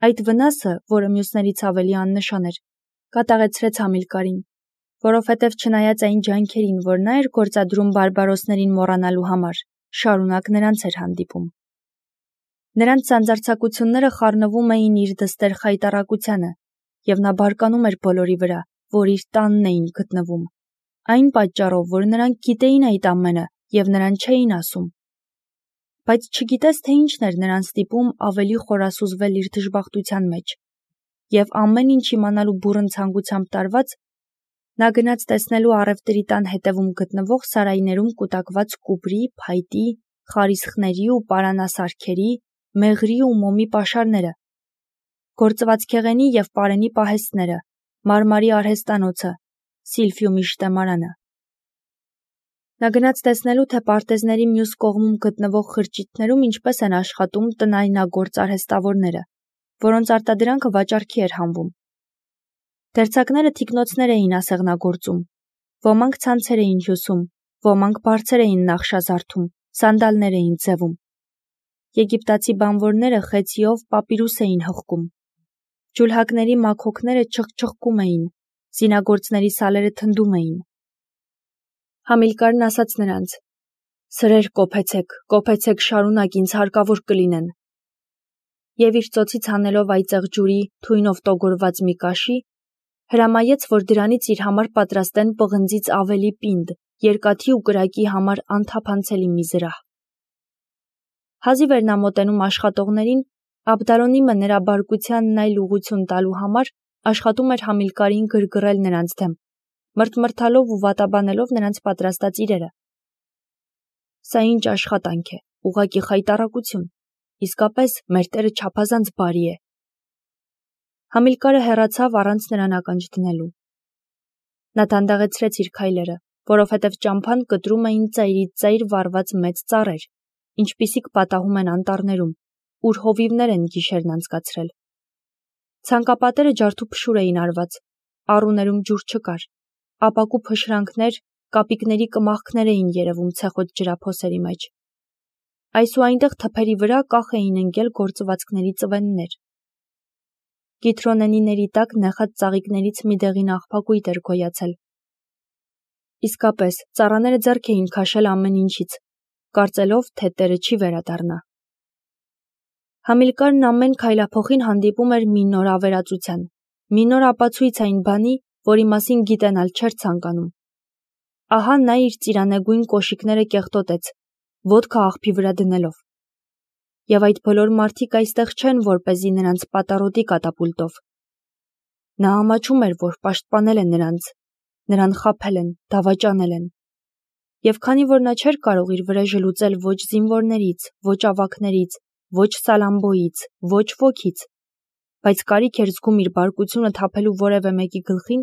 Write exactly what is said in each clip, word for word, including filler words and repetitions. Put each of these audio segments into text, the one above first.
Այդ վնասը, որը մյուսներից ավելի աննշան էր, կատաղեցրեց Համիլկարին, որովհետև չնայած այն ջանքերին, որ նա էր գործադրում բարբարոսներին մոռանալու համար, շարունակ նրանց էր հանդիպում։ Նրանց սանձարձակությունները խառնվում էին իր դստեր խայտառակությանը, և նա բարկանում էր բոլորի վրա, որ իր տանն էին գտնվում, այն պատճառով, որ նրանք գիտեին այդ ամենը և նրան չէին ասում։ Բայց չգիտես, թե ինչն էր նրան ստիպում ավելի խորասուզվել իր դժբախտության մեջ, և ամեն ինչ իմանալու բուռն ցանկությամբ տարված, նա գնաց տեսնելու առևտրի տան հետևում գտնվող սարայներում կուտակված կուպրի, փայտի, խարիսխների ու պարանասարքերի, մեղրի ու մոմի պաշարները, գործվածքեղենի և պարենի պահեստները, մարմարի արհեստանոցը, սիլֆյումի շտեմարանը։ Նա գնաց տեսնելու, թե պարտեզների մյուս կողմում գտնվող խրճիթներում ինչպես են աշխատում տնայնագործ արհեստավորները, որոնց արտադրանքը վաճառքի էր հանվում։ Դերձակները թիկնոցներ էին ասեղնագործում, ոմանք ցանցեր էին հյուսում, ոմանք բարձեր էին նախշազարդում, սանդալներ էին ձևում։ Եգիպտացի բանվորները խեցիով պապիրուս էին հղկում։ Ջուլհակների մաքոքները չխչխկում էին, զինագործների սալերը թնդում էին։ Համիլկարն ասաց նրանց. «Սրեր կոփեցեք, կոփեցեք շարունակ, ինձ հարկավոր կլինեն»։ Եվ իր ծոցից հանելով այծեղ ջուրի, թույնով տոգորված մի կաշի, հրամայեց, որ դրանից իր համար պատրաստեն պղնձից ավելի պինդ, երկաթի ու կրակի համար անթափանցելի մի զրահ։ Հազիվ էր նա մոտենում աշխատողներին, Աբդալոնիմը նրա բարկությանն այլ ուղղություն տալու համար աշխատում էր Համիլկարին գրգռել նրանց դեմ, մրթմրթալով ու վատաբանելով նրանց պատրաստած իրերը։ Սա ինչ աշխատանք է, ուղղակի խայտառակություն, իսկապես մեր տերը չափազանց բարի է։ Համիլկարը հեռացավ առանց նրան ականջ դնելու։ Նա դանդաղեցրեց իր քայլերը, որովհետև ճամփան կտրում էին ծայրից ծայր վառված մեծ ծառեր, ինչպիսիք պատահում են անտառներում, ուր հովիվներ են գիշերն անցկացրել։ Ցանկապատերը ջարդուփշուր էին արված, առուներում ջուր չկար, ապակու փշրանքներ, կապիկների կմախքներ էին երևում ցեխոտ ջրափոսերի մեջ։ Այս ու այնտեղ թփերի վրա կախ էին ընկել գործվածքների ծվեններ։ Գիթրոնենիների տակ նեխած ծաղիկներից մի դեղին աղբակույտ էր գոյացել։ Իսկապես, ծառաները ձեռք էին քաշել ամեն ինչից, կարծելով, թե տերը չի վերադառնա։ Համիլկարն ամեն քայլափոխին հանդիպում էր մի նոր ավերածության, մի նոր ապացույց այն բանի, որի մասին գիտենալ չէր ցանկանում։ Ահա նա իր ծիրանեգույն կոշիկները կեղտոտեց, ոտքը աղբի վրա դնելով։ Եվ այդ բոլոր մարդիկ այստեղ չեն, որպեսզի նրանց պատառոտի կատապուլտով։ Նա ամաչում էր, որ պաշտպանել են նրանց, նրան խաբել են, դավաճանել են։ Եվ քանի որ նա չէր կարող իր վրեժը լուծել ոչ զինվորներից, ոչ ավագներից, ոչ Սալամբոյից, ոչ ոքից, բայց կարիք էր զգում իր բարկությունը թափելու որևէ մեկի գլխին,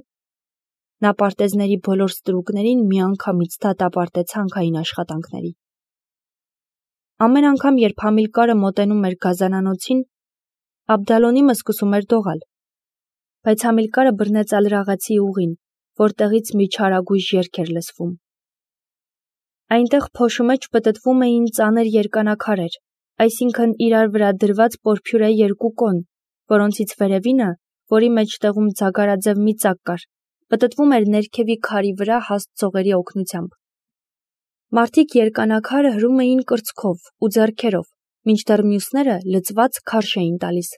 նա պարտեզների բոլոր ստրուկներին միանգամից դատապարտեց հանքային աշխատանքների։ Ամեն անգամ, երբ Համիլկարը մոտենում էր գազանանոցին, Աբդալոնիմը սկսում էր դողալ, բայց Համիլկարը բռնեց ալրաղացի ուղին, որտեղից մի չարագույժ երգ էր լսվում։ Այնտեղ փոշու մեջ պտտվում էին ծանր երկանակարեր, այսինքն իրար վրա դրված պորփյուրե երկու կոն, որոնցից վերևինը, որի մեջտեղում ձագարաձև մի ծակ կար, պտտվում էր ներքևի քարի վրա հաստ ցողերի օգնությամբ։ Մարդիկ երկանակարը հրում էին կրծքով ու ձեռքերով, մինչդեռ մյուսները լծված քարշ էին տալիս։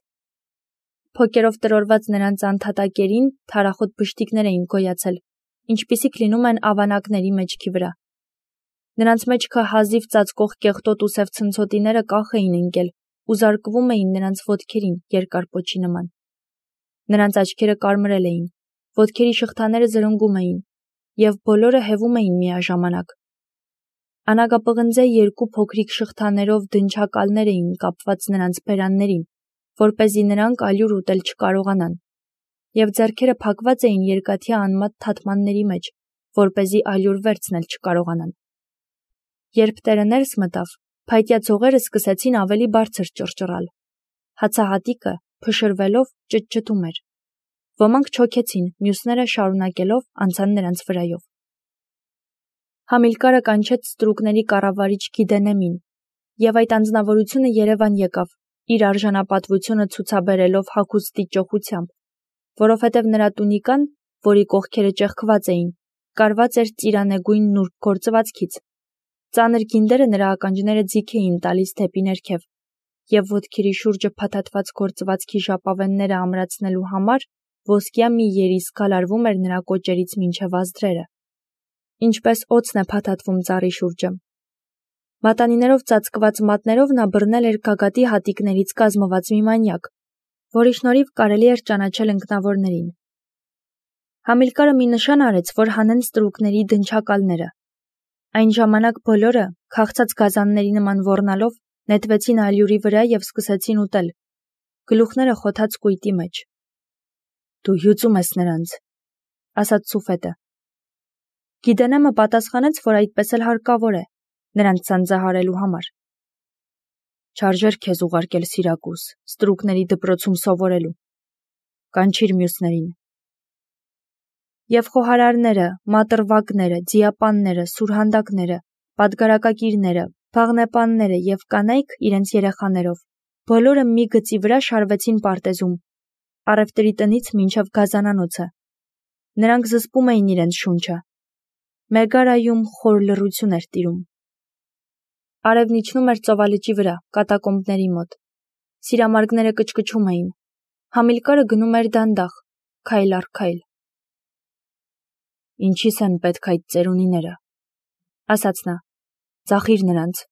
Փոկերով տրորված նրանց անթատակերին թարախոտ բշտիկներ էին գոյացել, ինչպիսիք լինում են ավանակների մեջքի վրա։ Նրանց մեջքը հազիվ ծածկող կեղտոտ ու սև ցնցոտիները կախ էին ընկել ու զարկվում էին նրանց ոտքերին երկար պոչի նման։ Նրանց աչքերը կարմրել էին, ոտքերի շղթաները զրնգում էին, և բոլորը հևում էին միաժամանակ։ Անագապղնձե երկու փոքրիկ շղթաներով դնչակալներ էին կապված նրանց բերաններին, որպեսզի նրանք ալյուր ուտել չկարողանան, և ձեռքերը փակված էին երկաթյա անմատ թաթմանների մեջ, որպեսզի ալյուր վերցնել չկարողանան։ Երբ տերը ներս մտավ, փայտյա ցողերը սկսեցին ավելի բարձր ճռճռալ։ Հացահատիկը, փշրվելով, ճտճտում էր։ Ոմանք չոքեցին, մյուսները շարունակելով անցան նրանց վրայով։ Համիլկարը կանչեց ստրուկների կառավարիչ Գիդենեմին, և այդ անձնավորությունը երևան եկավ իր արժանապատվությունը ցուցաբերելով հագուստի ճոխությամբ, որովհետև նրա տունիկան, որի կողքերը ճեղքված էին, կարված էր ծիրանեգույն նուրբ գործվածքից։ Ծանր գինդերը նրա ականջները ձիգ էին տալիս դեպի ներքև, և ոտքերի շուրջը փաթաթված գործվածքի ժապավենները ամրացնելու համար ոսկյա մի երիս գալարվում էր նրա կոճերից մինչև ազդրերը, ինչպես օձն է փաթաթվում ծառի շուրջը։ Մատանիներով ծածկված մատներով նա բռնել էր գագաթի հատիկներից կազմված մի մանյակ, որի շնորհիվ կարելի էր ճանաչել ընկնավորներին։ Համիլկարը մի նշան արեց, որ հանեն ստրուկների դնչակալները։ Այն ժամանակ բոլորը, քաղցած գազանների նման ոռնալով, նետվեցին ալյուրի վրա և սկսեցին ուտել, գլուխները խոթած կույտի մեջ։ «Դու հյուծում ես նրանց», ասաց Սուֆետը։ Գիդենեմը պատասխանեց, որ այդպես էլ հարկավոր է, նրանց սանձահարելու համար։ Չարժեր քեզ ուղարկել Սիրակուս, ստրուկների դպրոցում սովորելու, կանչիր մյուսներին։ Եվ խոհարարները, մատրվագները, ձիապանները, սուրհանդակները, պատգարակակիրները, փաղնեպանները և կանայք իրենց երեխաներով, բոլորը մի գծի վրա շարվեցին պարտեզում, առևտրի տնից մինչև գազանանոցը։ Նրանք զսպում էին իրենց շունչը։ Մեգարայում խոր լռություն էր տիրում։ Արևն իջնում էր ծովալճի վրա, կատակոմբների մոտ։ Սիրամարգները կչկչում էին։ Համիլկարը գնում էր դանդաղ, քայլ առ քայլ։ Ինչի՞ս են պետք այդ ծերունիները, ասաց նա, ծախիր նրանց։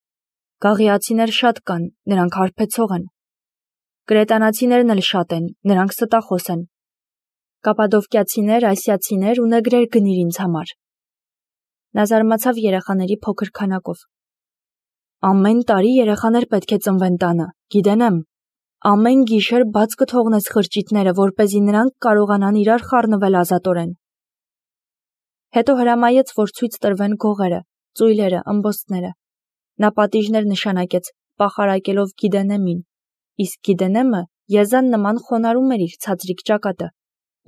Գաղիացիներ շատ կան, նրանք հարբեցող են։ Կրետանացիներն էլ շատ են, նրանք ստախոս են։ Կապադովկիացիներ, ասիացիներ ու նեգրեր գնիր ինձ համար։ Նա զարմացավ երեխաների փոքր քանակով։ Ամեն տարի երեխաներ պետք է ծնվեն տանը, գիտենեմ։ Ամեն գիշեր բաց կթողնես խրճիթները, որպեսզի նրանք կարողանան իրար խառնվել ազատորեն։ Հետո հրամայեց, որ ցույց տրվեն գողերը, ծույլերը, ըմբոստները։ Նա պատիժներ նշանակեց, պախարակելով Գիդենեմին, իսկ Գիդենեմը եզան նման խոնարհում էր իր ցածրիկ ճակատը,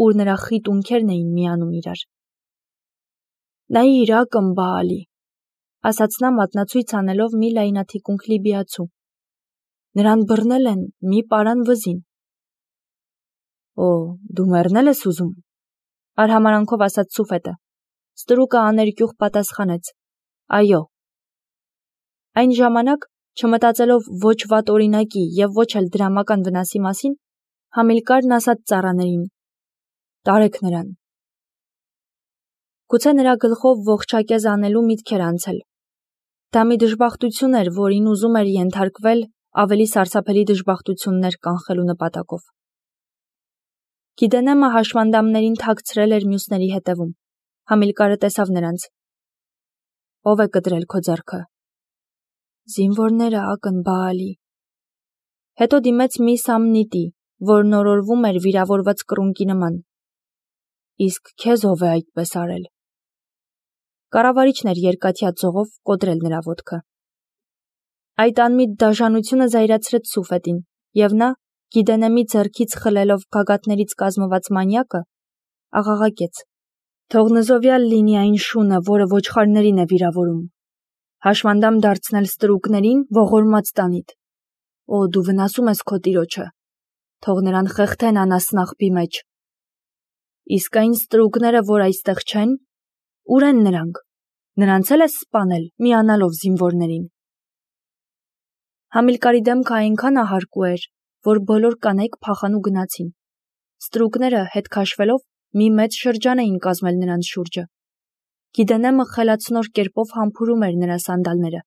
ուր նրա խիտ ունքերն էին միանում իրար։ Նայիր, ակմբալի, ասաց նա մատնացույց անելով մի լայնաթիկունք լիբիացու։ Նրան բռնել են մի պարան վզին։ Օ, դու մեռնել ես ուզում, արհամարանքով ասաց Սուֆետը։ Ստրուկը աներկյուղ պատասխանեց. Այո։ Այն ժամանակ, չմտածելով ոչ վատ օրինակի և ոչ էլ դրամական վնասի մասին, Համիլկարն ասաց ծառաներին. Տարեք նրան։ Գուցե նրա գլխով ողջակեզ անելու միտք էր անցել։ Դա մի դժբախտություն էր, որին ուզում էր ենթարկվել ավելի սարսափելի դժբախտություններ կանխելու նպատակով։ Գիդենեմը հաշմանդամներին թաքցրել էր մյուսների հետևում։ Համիլկարը տեսավ նրանց։ Ո՞վ է կտրել քո ձեռքը։ Զինվորները, ակնբալի։ Հետո դիմեց մի սամնիտի, որն օրորվում էր վիրավորված կռունկի նման։ Իսկ քեզ ով է այդպես արել։ Կառավարիչն էր երկաթյա ձողով կոտրել նրա ոտքը։ Այդ անմիտ դաժանությունը զայրացրեց Սուֆետին, և նա, Գիդենեմի ձեռքից խլելով գագաթներից կազմված մանյակը, աղաղակեց. Թող նզովյալ լինի այն շունը, որը ոչխարներին է վիրավորում։ Հաշմանդամ դարձնել ստրուկներին ողորմած տանիդ։ Օ, դու վնասում ես քո տիրոջը։ Թող նրան խեղդեն անասնաղբի մեջ։ Իսկ այն ստրուկները, որ այստեղ չեն, ուր են նրանք։ Նրանց էլ ես սպանել, միանալով զինվորներին։ Համիլկարի դեմքը այնքան ահարկու էր, որ բոլոր կանայք փախան ու գնացին։ Ստրուկները, հետ քաշվելով, մի մեծ շրջան էին կազմել նրանց շուրջը։ Գիդենեմը խելացնոր կերպով համբուրում էր նրա սանդալները։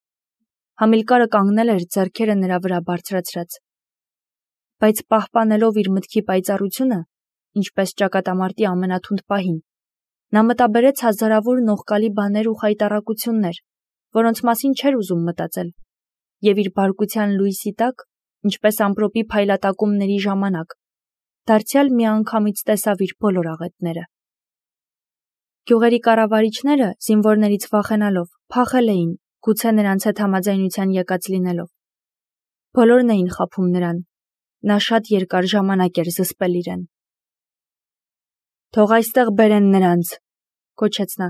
Համիլկարը կանգնել էր ձեռքերը նրա վրա բարձրացրած։ Բայց պահպանելով իր մտքի պայծառությունը, ինչպես ճակատամարտի ամենաթունդ պահին, նա մտաբերեց հազարավոր նողկալի բաներ ու խայտառակություններ, որոնց մասին չէր ուզում մտածել, և իր բարկության լույսի տակ, ինչպես ամպրոպի փայլատակումների ժամանակ, դարձյալ միանգամից տեսավ իր բոլոր աղետները։ Գյուղերի կառավարիչները, զինվորներից վախենալով, փախել էին, գուցե նրանց հետ համաձայնության եկած լինելով։ Բոլորն էին խաբում նրան։ Նա շատ երկար ժամանակ էր զսպել իրեն։ Թող այստեղ բերեն նրանց, կոչեց նա։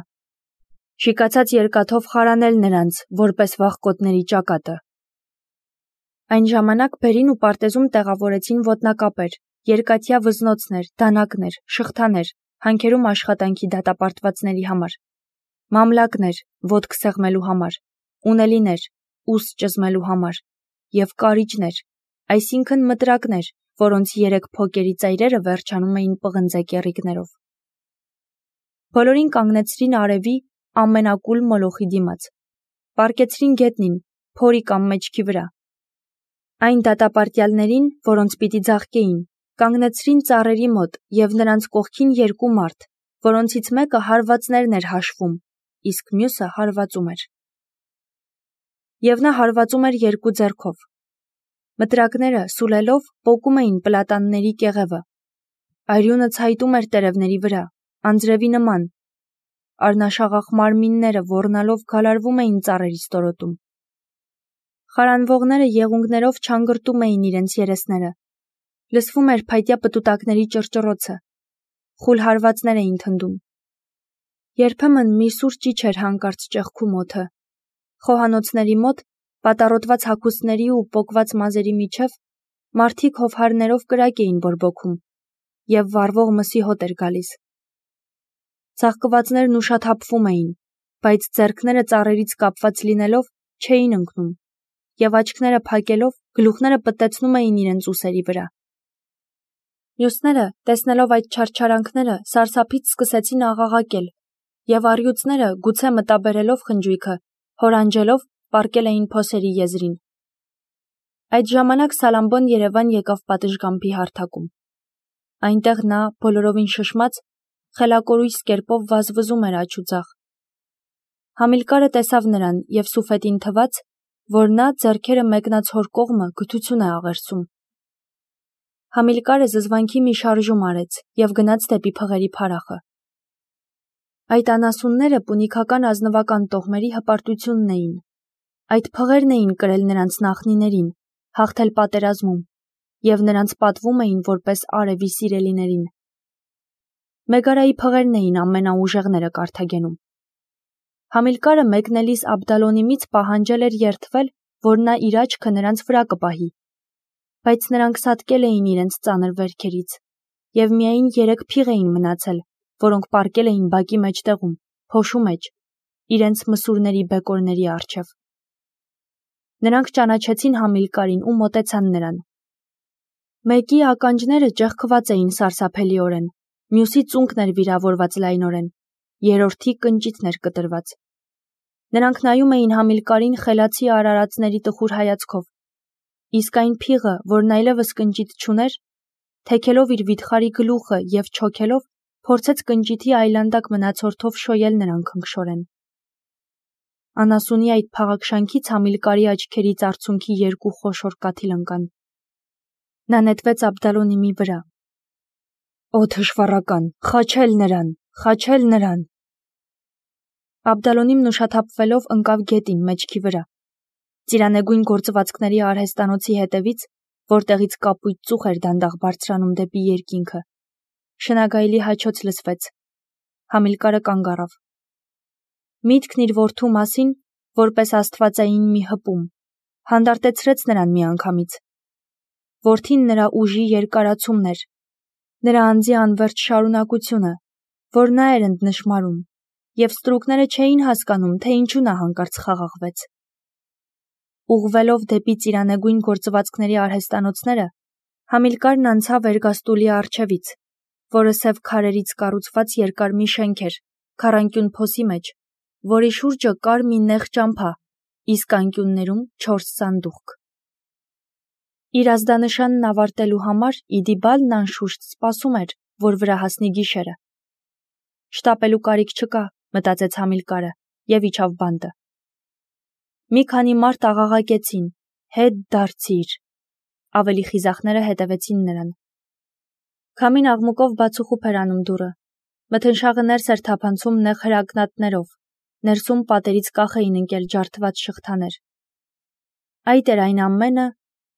Շիկացած երկաթով խարանել նրանց, որպես վախկոտների ճակատը։ Այն ժամանակ բերին ու պարտեզում տեղավորեցին ոտնակապեր, երկաթյա վզնոցներ, դանակներ, շղթաներ, հանքերում աշխատանքի դատապարտվածների համար, մամլակներ, ոտք սեղմելու համար, ունելիներ, ուս ճզմելու համար, և կարիճներ, այսինքն մտրակներ, որոնց երեք փոկերի ծայրերը վերջանում էին պղնձե կեռիկներով։ Բոլորին կանգնեցրին արևի ամենակուլ մոլոխի դիմաց, պառկեցրին գետնին, փորի կամ մեջքի վրա։ Այն դատապարտյալներին, որոնց պիտի ձաղկեին, կանգնեցրին ծառերի մոտ և նրանց կողքին երկու մարդ, որոնցից մեկը հարվածներն էր հաշվում, իսկ մյուսը հարվածում էր։ Եվ նա հարվածում էր երկու ձեռքով։ Մտրակները սուլելով պոկում էին պլատանների կեղևը։ Արյունը ցայտում էր տերևների վրա, անձրևի նման։ Առնաշաղախ մարմինները ոռնալով գալարվում էին ծառերի ստորոտում։ Խարանվողները եղունգներով չանգրտում էին իրենց երեսները։ Լսվում էր փայտյա պտուտակների ճռճռոցը։ Խուլ հարվածներ էին թնդում։ Երբեմն մի սուր ճիչ էր հանկարծ ճեղքում օդը։ Խոհանոցների մոտ, պատառոտված հագուստների ու պոկված մազերի միջև, մարդիկ հովհարներով կրակ էին բորբոքում, և վառվող մսի հոտ էր գալիս։ Ծաղկվածներն ուշաթափվում էին, բայց ձեռքները ծառերից կապված լինելով չէին ընկնում, և աչքները փակելով գլուխները պտտեցնում էին իրենց ուսերի վրա։ Մյուսները, տեսնելով այդ չարչարանքները, սարսափից սկսեցին աղաղակել, և առյուծները, գուցե մտաբերելով խնջույքը, հորանջելով, պառկել էին փոսերի եզրին։ Այդ ժամանակ Սալամբոն Երևան եկավ պատշգամբի հարթակում։ Այնտեղ նա, բոլորովին շշմած, խելակորույս կերպով վազվզում էր աջ ու ձախ։ Համիլկարը տեսավ նրան և սուֆետին թվաց, որ նա ձեռքերը մեկնած հոր կողմը գթություն է աղերսում։ Համիլկարը զզվանքի մի շարժում արեց և գնաց դեպի փղերի փարախը։ Այդ անասունները պունիքական ազնվական տոհմերի հպարտությունն էին։ Այդ փղերն էին կրել նրանց նախնիներին, հաղթել պատերազմում, և նրանց պատվում էին որպես արևի սիրելիներին։ Մեգարայի փղերն էին ամենաուժեղները Կարթագենում։ Համիլկարը մեկնելիս Աբդալոնիմից պահանջել էր երդվել, որ նա իր աչքը նրանց վրա կպահի, բայց նրանք սատկել էին իրենց ծանր վերքերից, և միայն երեք փիղ էին մնացել, որոնք պառկել էին բակի մեջտեղում, փոշու մեջ, իրենց մսուրների բեկորների առջև։ Նրանք ճանաչեցին Համիլկարին ու մոտեցան նրան։ Մեկի ականջները ճեղքված էին սարսափելիորեն, մյուսի ծունկն էր վիրավորված լայնորեն, երրորդի կնճիթն էր կտրված։ Նրանք նայում էին Համիլկարին խելացի արարածների տխուր հայացքով, իսկ այն փիղը, որն այլևս կնճիթ չուներ, թեքելով իր վիթխարի գլուխը և չոքելով, փորձեց կնճիթի այլանդակ մնացորդով շոյել նրան քնքշորեն։ Անասունի այդ փաղաքշանքից Համիլկարի աչքերից արցունքի երկու խոշոր կաթիլ ընկան։ Նա նետվեց Աբդալոնիմի վրա։ Օ թշվառական, խաչել նրան, խաչել նրան։ Աբդալոնիմն ուշաթափվելով ընկավ գետին մեջքի վրա։ Ծիրանեգույն գործվածքների արհեստանոցի հետևից, որտեղից կապույտ ծուխ էր դանդաղ բարձրանում դեպի երկինքը, շնագայլի հաչոց լսվեց։ Համիլկարը կանգ առավ։ Միտքն իր որդու մասին, որպես աստվածային մի հպում, հանդարտեցրեց նրան միանգամից։ Որդին նրա ուժի երկարացումն էր, նրա անձի անվերջ շարունակությունը, որ նա էր ընդնշմարում, և ստրուկները չէին հասկանում, թե ինչու նա հանկարծ խաղաղվեց։ Ուղղվելով դեպի ծիրանեգույն գործվածքների արհեստանոցները, Համիլկարն անցավ Էրգաստուլի առջևից, որը սև քարերից կառուցված երկար մի շենք էր, քառանկյուն փոսի մեջ, որի շուրջը կար մի նեղ ճամփա, իսկ անկյուններում չորս սանդուղք։ Իր ազդանշանն ավարտելու համար Իդիբալն անշուշտ սպասում էր, որ վրա հասնի գիշերը։ Շտապելու կարիք չկա, մտածեց Համիլկարը, և իջավ բանտը։ Մի քանի մարդ աղաղակեցին. «Հետ դարձիր»։ Ավելի խիզախները հետևեցին նրան։ Քամին աղմուկով բացուխուփ էր անում դուռը։ Մթնշաղը ներս էր թափանցում նեղ հրակնատներով, ներսում պատերից կախ էին ընկել ջարդված շղթաներ։ Այդ էր այն ամենը,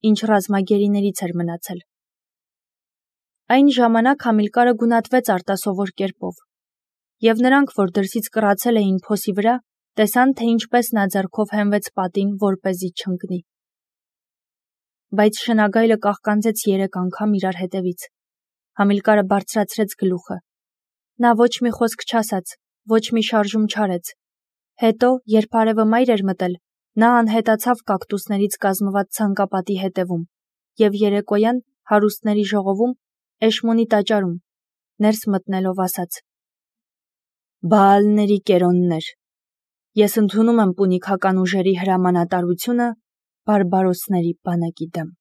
ինչ ռազմագերիներից էր մնացել։ Այն ժամանակ Համիլկարը գունատվեց արտասովոր կերպով, և նրանք, որ դրսից կռացել էին փոսի վրա, տեսան, թե ինչպես նա ձեռքով հենվեց պատին, որպեսզի չընկնի։ բայց շնագայլը կաղկանձեց երեք անգամ իրար հետևից։ Համիլկարը բարձրացրեց գլուխը։ Նա ոչ մի խոսք չասաց, ոչ մի շարժում չարեց։ Հետո, երբ արևը մայր էր մտել, նա անհետացավ կակտուսներից կազմված ցանկապատի հետևում և երեկոյան հարուստների ժողովում, Էշմոնի տաճարում, ներս մտնելով ասաց. «Բաալների կերոններ, ես ընդունում եմ պունիկական ուժերի հրամանատարությունը բարբարոսների բանակի դեմ»։